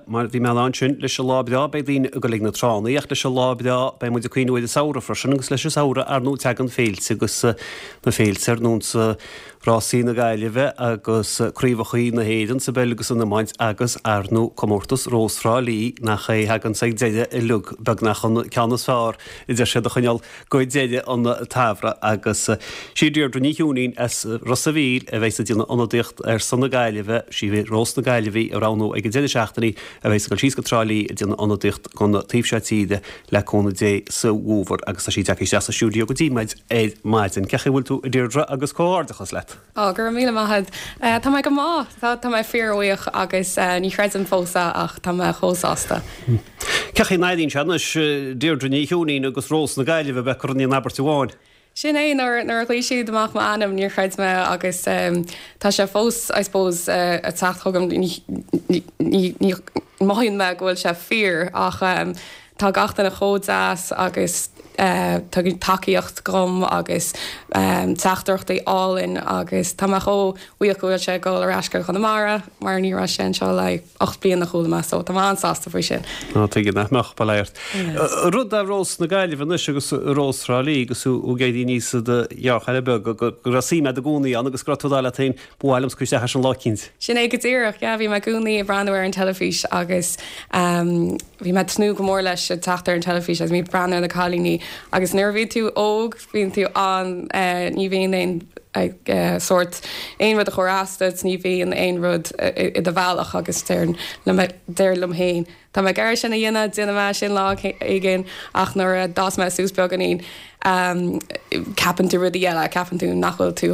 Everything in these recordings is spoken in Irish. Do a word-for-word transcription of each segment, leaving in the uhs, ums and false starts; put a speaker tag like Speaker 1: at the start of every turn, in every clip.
Speaker 1: Mar bhí mé ansin leis an lá breá beidh daoine ag dul ag na tránna ach leis an lá breá beidh muid ag cuimhniú ar an samhradh freisin agus leis an samhradh ar ndóigh tagann féilte agus na féilte ar nós Rásaí na Gaillimhe agus Craobhacha na hÉireann sa bpeil agus san iomáint agus ar ndóigh comórtas Rós Thrá Lí nach é thagann ag deireadh uilig beagnach an ceann is fearr a deir siad a choinneáil go deireadh an tsamhraidh agus sí Deirdre Ní Chiúinín as Ros a' Mhíl a bheidh ag déanamh ionadaíocht ar son na Gaillimhe sí Rós na Gaillimhe a roghnú ag an deireadh seachtaine a bheidh ag dul síos go Trá Lí ag déanamh ionadaíocht don taobh seo tíre le cúnamh Dé sa bhfómhar agus tá sí tagtha isteach sa stiúideo go dtí muid ar maidin. Cén chaoi a bhfuil tú a Deirdre agus comhghairdeachas leat.
Speaker 2: Ó go raibh míle maith agat. Tá mé go maith tá mé fíorbhuíoch agus ní chreidim fós ach tá mé chomh sásta.
Speaker 1: Cén chaoi a n-airíonn sé anois Deirdre Ní Chiúinín agus Rós na Gaillimhe bheith curtha in abairt amháin.
Speaker 2: Sin é nuair a ghlaoigh siad amach m'ainm níor chreid mé agus tá sé fós I suppose ag teacht chugam ní mothaíonn mé go bhfuil sé fíor ach tá gach duine chomh deas agus tugann tacaíocht dom agus teachtaireachtaí álainn agus tá mé chomh buíoch go bhfuil sé ag dul ar ais go Conamara mar ní raibh sé anseo le ocht bliana chuala mé so tá mé an-sásta faoi sin.
Speaker 1: Ná tuige nach mbeadh ba léirt. Rud a Rós na Gaillimhe anois agus Rós Thrá Lí agus ag éirí aníos i do ghearrchaile beag go raibh suim agat i gcónaí ann agus go raibh tú leat féin ba mhaith liom cur isteach leis an lá eicínt.
Speaker 2: Sin é go díreach, yeah, bhí mé i gcónaí ag breathnú ar an teilifís agus um, bhí mé ag tnúth go mór leis ag teacht ar an teilifís agus bhí breathnú ar na cailíní agus nuair a bhí tú óg bhíonn tú an uh, ní bhíonn aon uh, sórt aon rud a chur as duit ní bhíonn aon rud i do bhealach agus deir liom féin. Tá mé gar sin a dhéanamh déanfaidh mé sin lá éigin ach nuair a d'fhás mé suas beagáinín um, ceapann tú rudaí eile ceapann tú nach bhfuil tú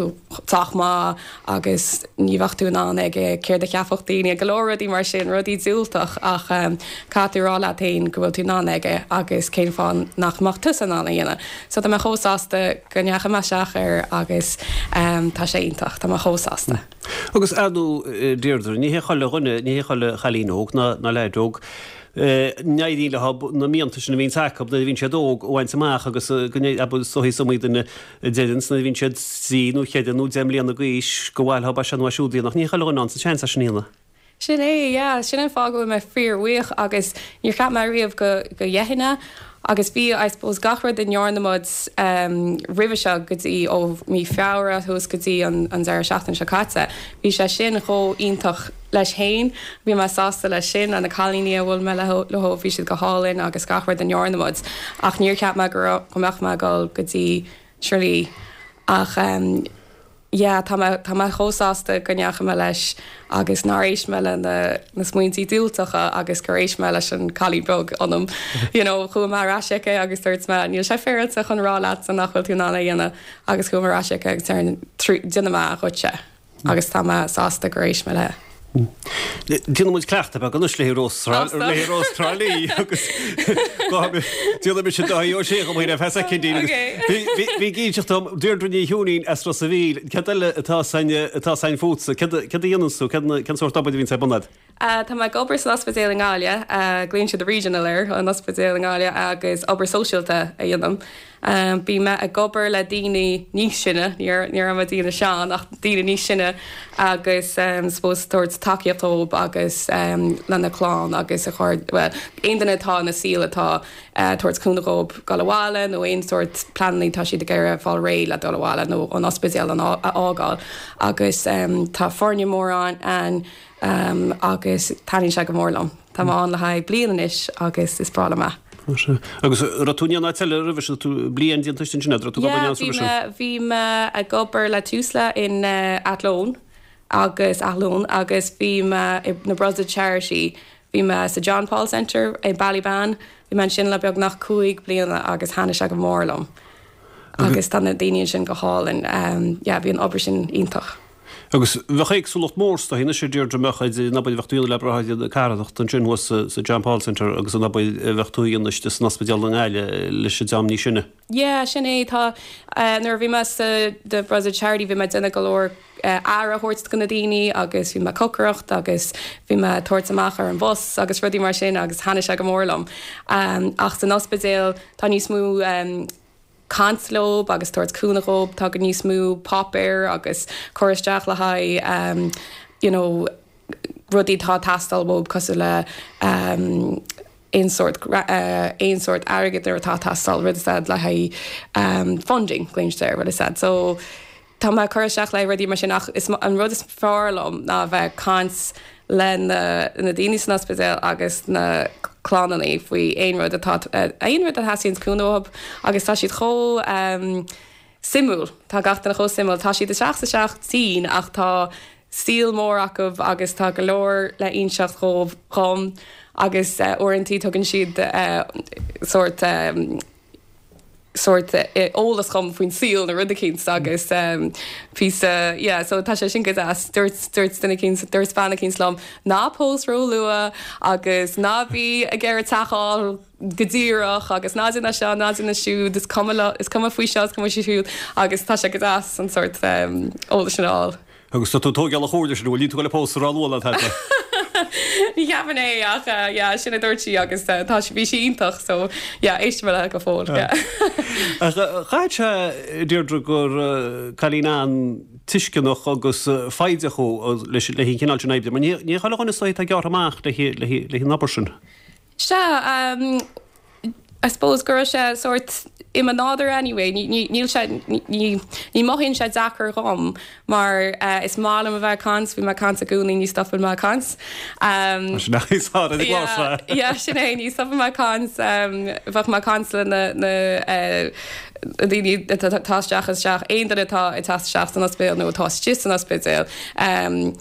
Speaker 2: sách maith agus ní bheadh tú in ann aige céard a cheapfadh daoine go leor rudaí mar sin rudaí diúltach ach um, caithfidh tú rá leat féin go bhfuil tú in ann aige agus cén fáth nach mbeadh tú in ann a dhéanamh. So tá mé chomh sásta go ndeachaigh mé isteach air agus um, tá sé iontach, tá mé chomh sásta.
Speaker 1: Agus ar ndóigh Deirdre ní hé chuile dhuine ní hé chuile chailín óg ná ná leaid óg. N-éiríonn leo na mianta sin a bhíonn acu nuair a bhíonn siad óg a bhaint amach agus go is iomaí duine a deireann nuair a bhíonn siad trí nó ceithre nó deich mbliana d'aois go bhfuil ba sin siúd nach ní chuile dhuine an seans sin a dhéanamh.
Speaker 2: Sin é yeah, sin an fáth go bhfuil mé fíorbhuíoch agus níor cheap mé riamh go go ndéanfainn agus bhí I suppose gach rud a ndearna muid um, roimhe seo go dtí ó mí Feabhra thuas go dtí an, an deireadh seachtain seo caite. Bhí sé sin chomh iontach leis féin, bhí mé sásta leis sin an na cailíní a bhfuil mé leo bhí siad go hálainn agus gach rud a ndearna muid ach níor cheap mé go go mbeadh mé dul go dtí Trá Lí ach um, yeah, tá mé tá mé chomh sásta go ndeachaigh mé leis agus nár éist mé le na, na smaointí diúltacha agus gur éist mé leis an cailín beag ionam. You know, chuaigh mé ar ais chuici agus dúirt mé níl sé féaráilte chun rá leat nach bhfuil tú in ann a dhéanamh agus chuaigh mé ar ais chuici agus déanfaidh mé dhuitse agus tá mé sásta gur éist mé léi.
Speaker 1: Déanfaidh muid cleachtadh beag anois le Rós le Rós Trá Lí agus Déanfaidh mise Dáithí Ó Sé go mé fe soicindí Bhí gíseach Deirdre Ní Chiúinín as Ros a' Mhíl, Cad eile atá atá sain fútsa, cad a dhéanann tú cén sórt obair a bhíonn ar bun agat?
Speaker 2: Uh, tá mé ag obair san ospidéal i nGaillimh, uh, glaonn siad regional air an ospidéal i nGaillimh agus obair sóisialta a dhéanaim. Um, Bhí mé ag obair le daoine níos sine, ní ní raibh daoine sean ach daoine níos sine agus um, suppose tabhairt tacaíocht dóibh agus um, lena clann agus a chur well, aon duine atá ina saol atá uh, tabhairt cúnamh dóibh dul abhaile nó aon sórt pleananna tá siad ag iarraidh fáil réidh le dul abhaile nó an ospidéal an a fhágáil agus um, tá foirne mór ann an um, agus taitníonn sé go mór liom. Tá mé ann le haghaidh bliain anois agus is breá liom é.
Speaker 1: Agus raibh tú in áit eile roimhe sin tú bliain déanta sin sin tú
Speaker 2: Yeah, bhí mé ag obair le Tusla in uh, Athlone agus Athlone agus bhí mé i na Brother Charity bhí mé sa John Paul Centre i Ballybane bhí mé ansin le beagnach cúig bliana agus thaitnigh sé go mór liom. Agus tá na daoine sin go hálainn um, yeah, bhí an obair sin iontach.
Speaker 1: Agus bheadh éagsúlacht mór sta hína sé Deirdre mbeadh an obair bheadh tú le braitheadh carthanacht ansin thuas sa John Paul Centre agus an obair bheadh tú ag déanamh san ospidéal i nGaillimh leis an dream níos sine.
Speaker 2: Yeah, sin é tá uh, nuair a bhí mé sa the Brother Charity bhí mé déanamh go leor uh, aire a thabhairt do na daoine agus bhí mé cócaireacht agus bhí mé tabhairt amach ar an bus agus rudaí mar sin agus thaitnigh sé go mór liom. Um, ach san ospidéal tá níos mó um, caint leo agus tabhairt cúnamh dóibh tá go níos mó páipéir agus cur isteach le haghaidh um, you know, rudaí atá ag teastáil uathu cosúil le um, aon sórt uh, aon sórt airgead atá ag teastáil rud said le haghaidh um, funding glaoitear rud said. So tá mé cur isteach le rudaí mar sin ach is an rud is fearr liom ná bheith caint le na, na daoine san ospidéal agus na clanna faoi aon rud atá uh, aon rud a theastaíonn cúnamh agus tá siad chomh um, suimiúil Tá gach duine chomh suimiúil tá siad isteach sa seach tinn ach tá saol mór acu agus tá go leor le inseacht dhóibh dhom agus uh, uaireanta tugann siad uh, sórt um, sórt eolas dhom faoin saol na rud éicint agus um, píosa yeah, so tá sé sin go deas dúirt dúirt duine éicint dúirt bean éicint liom ná pós ró-luath agus ná bí ag iarraidh teach a fháil go díreach agus ná déan seo ná déan siúd is cuma is cuma faoi seo is cuma siúd agus tá sé go deas an sórt um, eolas sin a fháil.
Speaker 1: Agus tá tú tógáil a chóir sin bhfuil tú le pósadh ró-luath le
Speaker 2: Ní cheapaim é ach uh, sin a dúirt sí agus uh, tá bhí sí iontach so éist le go fóill.
Speaker 1: Chaith sé Deirdre gur cailín an-tuisceanach agus foighdeach leis le cineál sin oibre, ní chuile dhuine atá gearr amach le le an obair sin.
Speaker 2: Sea um, I suppose go raibh sé sórt i mo nádúr anyway níl sé ní mothaíonn sé deacair dhom mar uh, is maith liom a bheith caint bhí mé caint i gcónaí ní stopann mé caint.
Speaker 1: Um,
Speaker 2: sin é ní stopann mé caint um, bheadh mé caint le na na uh, daoine atá isteach isteach aon duine atá ag teacht isteach san ospidéal nó atá istigh san ospidéal. Um,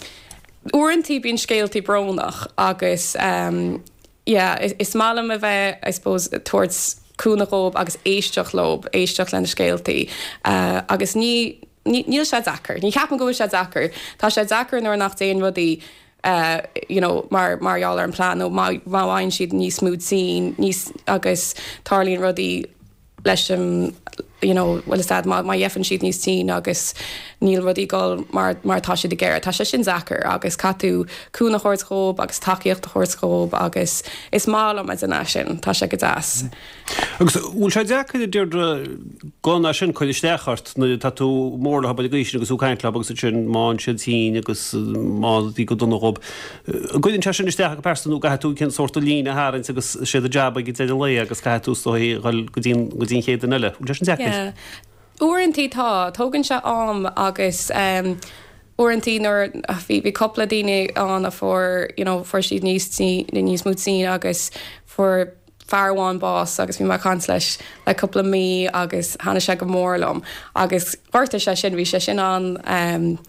Speaker 2: Uaireanta bíonn scéaltaí brónach agus um, yeah, is, is maith liom a bheith I suppose towards cúnamh dhóibh agus éisteacht leo éisteacht lena scéaltaí uh, agus ní níl sé deacair ní cheapaim go bhfuil sé deacair Tá sé deacair nuair nach dtéann rudaí uh, you know, mar mar gheall ar an plan nó má bhíonn siad níos mó tinn níos agus tarlaíonn rudaí leis an you know, well is má má bhíonn siad níos tinn agus níl rudaí ag dul mar mar tá siad ag iarraidh Tá sé sin deacair agus caithfidh tú cúnamh a thabhairt dhóibh agus tacaíocht a thabhairt dhóibh agus is maith liom é sin tá sé go deas.
Speaker 1: Agus bhfuil sé deacair Deirdre gan é sin cur isteach ort nuair tá tú mór le gaois agus ú caiint agus sin má siad tinn agus má dí go dona gob. Gcuireann sé sin isteach go pearsanta nó caithfidh tú cén sórt líne a tharraingt agus sé do jab ag deireadh lae agus caithfidh tú go dtí an chéad duine eile. Bhfuil sé sin deacair?
Speaker 2: Yeah. Uaireanta tá tógann sé am agus um, uaireanta nuair bhí bhí cúpla daoine ann a fuair you know, fuair siad níos níos mó tinn agus fuair fear amháin bás agus bhí mé caint leis le cúpla mí agus thaitnigh sé go mór liom agus ghortaigh sé sin bhí sé sin an um,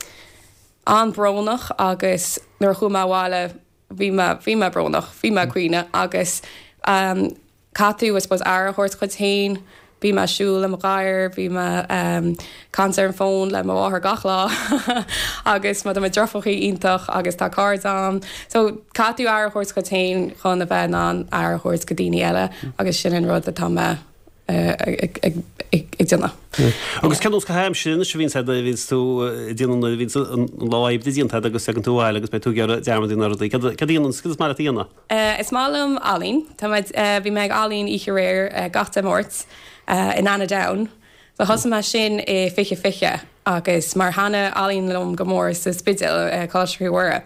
Speaker 2: an-bhrónach agus nuair chuaigh mé abhaile bhí bhí mé brónach, bhí mé caoineadh agus um, caithfidh tú I suppose aire a thabhairt duit féin, Bhí mé siúl le mo ghadhar, bhí mé um, caint ar an bhfón le mo mháthair gach lá agus má deirfiúr iontach agus tá cairde agam. So caithfidh tú aire a thabhairt duit féin chun a bheith in ann aire a thabhairt do dhaoine eile agus sin an rud atá mé ag déanamh.
Speaker 1: Agus cén caitheamh aimsire sin bhíonn bhíonn tú déanamh bhíonn an lá oibre déanta agus tagann tú abhaile agus beidh tú ag iarraidh dearmad na rudaí. Cad dhéanann is maith leat a dhéanamh?
Speaker 2: Is maith liom ealaín bhí mé ag ealaín oíche aréir gach Dé Máirt in Annaghdown. So thosaigh mé sin i fiche fiche agus mar thaitnigh ealaín liom go mór sa Spidéal Coláiste Mhuire.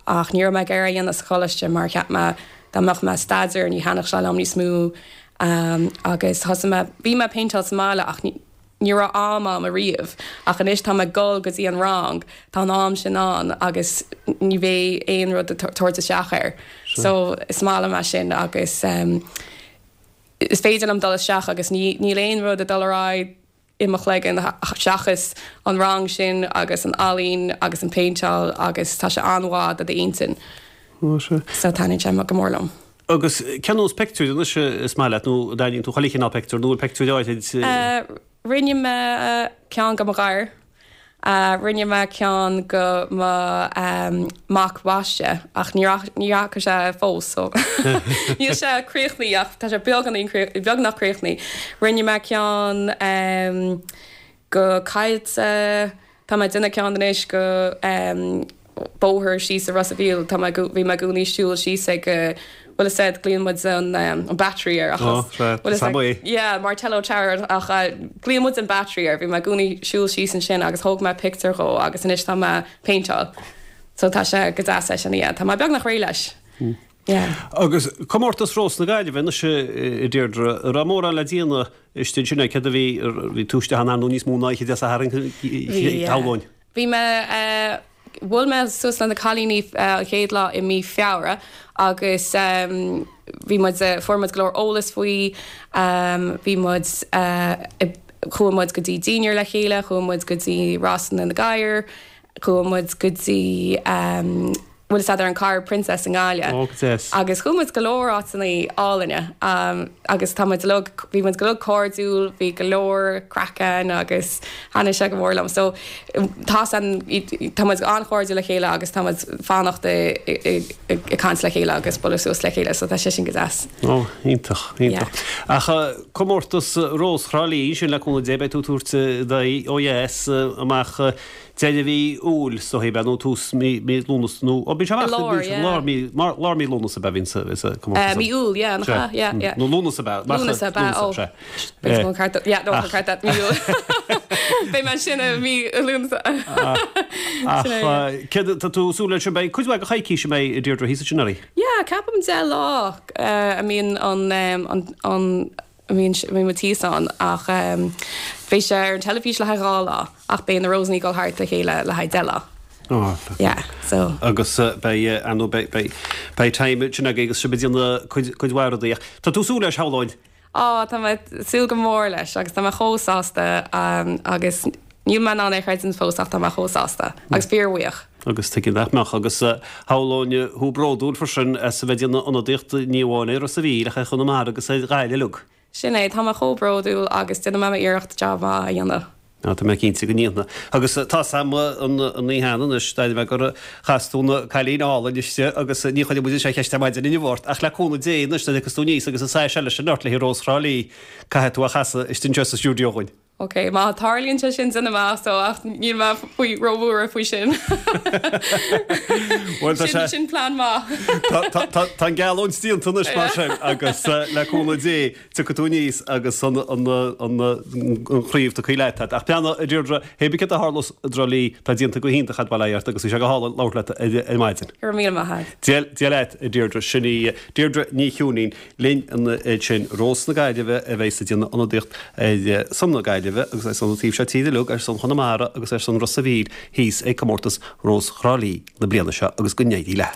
Speaker 2: Ach ní raibh mé ag iarraidh a dhéanamh sa choláiste mar cheap mé dá mbeadh mé staidéar ní thaitneodh sé liom níos mó um, agus thosaigh mé bhí mé péinteáil sa mbaile ach ní ní raibh am agam ariamh ach anois tá mé ag dul go dtí an rang tá an am sin ann agus ní bheidh aon rud tabhairt isteach air. So is maith liom é sin agus um, is féidir liom dul isteach agus níl aon rud ag dul ar aghaidh i mo chloigeann seachas an rang sin agus an ealaín agus an péinteáil agus tá sé an-mhaith do d'intinn. So taitníonn sé go mór liom.
Speaker 1: Agus cén nós pictiúr anois is maith leat nó déanann tú chuile chineál pictiúr nó pictiúr áirid?
Speaker 2: Rinne mé ceann do mo ghadhar. Uh, rinne mé ceann do mo um, mac baiste ach ní ní fhaca sé fós so níl sé críochnaithe ach tá sé beagnach críochnaithe. Rinne mé ceann um, do Caillte Tá mé ag déanamh ceann anois do um, bóthar síos i Ros an Mhíl tá bhí mé i gcónaí siúl síos ag uh, well said glaonn muid an um, an battery ar
Speaker 1: oh,
Speaker 2: yeah Martello Tower ach uh, glaonn muid an battery ar bhí mé i gcónaí siúl síos ansin agus thóg mé pictiúr dhó agus anois tá mé péinteáil. So tá sé go deas é sin yeah. Tá mé beagnach réidh leis.
Speaker 1: Mm.
Speaker 2: Yeah.
Speaker 1: Agus comórtas Rós na Gaillimhe anois a Deirdre, raibh mórán le déanamh istigh ansin céard a bhí bhí tú istigh ann nó níos mó ná oíche Dé Sathairn shamhlóinn.
Speaker 2: Bhí mé uh, bhuail mé suas le na cailíní uh, an chéad lá i mí Feabhra agus um, bhí muid uh, fuair muid go leor eolas faoi um, bhí muid uh, chuaigh muid go dtí dinnéar le chéile, chuaigh muid go dtí Rásanna na Gadhar, chuaigh muid go dtí um, bhfuil a ar an Carr Princess in Gaillimh.
Speaker 1: Ó, go deas.
Speaker 2: Agus chuaigh muid go leor áiteanna álainne um, agus tá muid uilig bhí muid go leor cairdiúil, bhí go leor craic ann agus thaitnigh sé go mór liom. So tá an tá muid an-chairdiúil le chéile agus tá muid fanacht ag caint le chéile agus bualadh suas le chéile, so tá sé sin go deas.
Speaker 1: Ó, iontach, iontach. Ach comórtas Rós Thrá Lí sin le cúnamh Dé beidh tú ag tabhairt d'aghaidh ó dheas amach deireadh mhí Iúil is dóigh nó tús mí mí Lúnasa nó ó bíonn sé amach
Speaker 2: Lár, yeah.
Speaker 1: lár mí mar lár mí Lúnasa be bhíonn sa sa
Speaker 2: Uh, mí Iúil, yeah, nach ea? Yeah, yeah.
Speaker 1: Nó Lúnasa be
Speaker 2: Lúnasa be, ó. Beidh an ceart yeah, no, an ceart mí Iúil. Beidh mé sin i mí Lúnasa.
Speaker 1: Ach céard tá tú súil leis sin beidh cuid mhaith de choicís a mbeidh Deirdre thíos ansin ar
Speaker 2: Yeah, ceapaim deich lá uh, a mbíonn an um, an an a mbíonn bhí muid thíos ann ach um, bhí sé ar an teilifís le haghaidh dhá lá ach beidh na Rósanna ag dul thart le chéile le haghaidh deich lá.
Speaker 1: Oh,
Speaker 2: Yeah, so
Speaker 1: agus beidh anú beidh beidh time sin agaibh agus sibh ag déanamh cuid cuid mhaith rudaí. Tá tú súil leis shamhlóinn?
Speaker 2: Á tá mé ag súil go mór leis agus tá mé chomh sásta um, agus níl mé in ann é a chreidiúint fós ach tá mé chomh sásta agus fíorbhuíoch.
Speaker 1: Agus tuigim nach mbeadh agus shamhlóinn thú bródúil freisin as a bheith ag déanamh ionadaíocht ní amháin ar Ros a' Mhíl ach ar Chonamara agus ar Ghaillimh uilig.
Speaker 2: Sin é tá mé chomh bródúil agus déanfaidh mé iarracht job maith a dhéanamh.
Speaker 1: Á tá mé cinnte go ndéanfaidh. Agus tá sam an an ní hana anois dá mbeidh gur chas tú na cailíní álainn istigh agus ní chuirfidh muid sé cheist ar maidin inniu ort ach le cúnamh Dé anois nuair a thiocfas tú aníos agus an saghas eile sin ort le Rós Thrá Lí caithfidh tú a chasadh istigh anseo sa stiúideo dhúinn.
Speaker 2: Ok, má tarlaíonn sé sin déanfaidh mé so ach níl mé faoi róbhuartha faoi sin.
Speaker 1: Well, tá
Speaker 2: Sin
Speaker 1: sé-
Speaker 2: sin plean maith.
Speaker 1: Tá tá an geallúint déanta anois mar sin agus eh, le cúnamh Dé tiocfaidh tú aníos agus an an an an chraobh tugtha leat. Ach peanna a Deirdre hé bí cad a tharlós i dTrá Lí tá déanta go hiontach agat bail ort agus bhí sé go hálainn labhairt leat ar ar maidin.
Speaker 2: Go raibh míle maith agat.
Speaker 1: Dia Dia leat a Deirdre sin í Deirdre Ní Chiúinín linn an sin Rós na Gaillimhe a bheas ag déanamh ionadaíocht ar son na Gaillimhe agus ar son an taobh seo tíre uilig ar son Chonamara agus ar son Ros a' Mhíl thíos ag comórtas Rós Thrá Lí na bliana seo agus go n-éirí léi.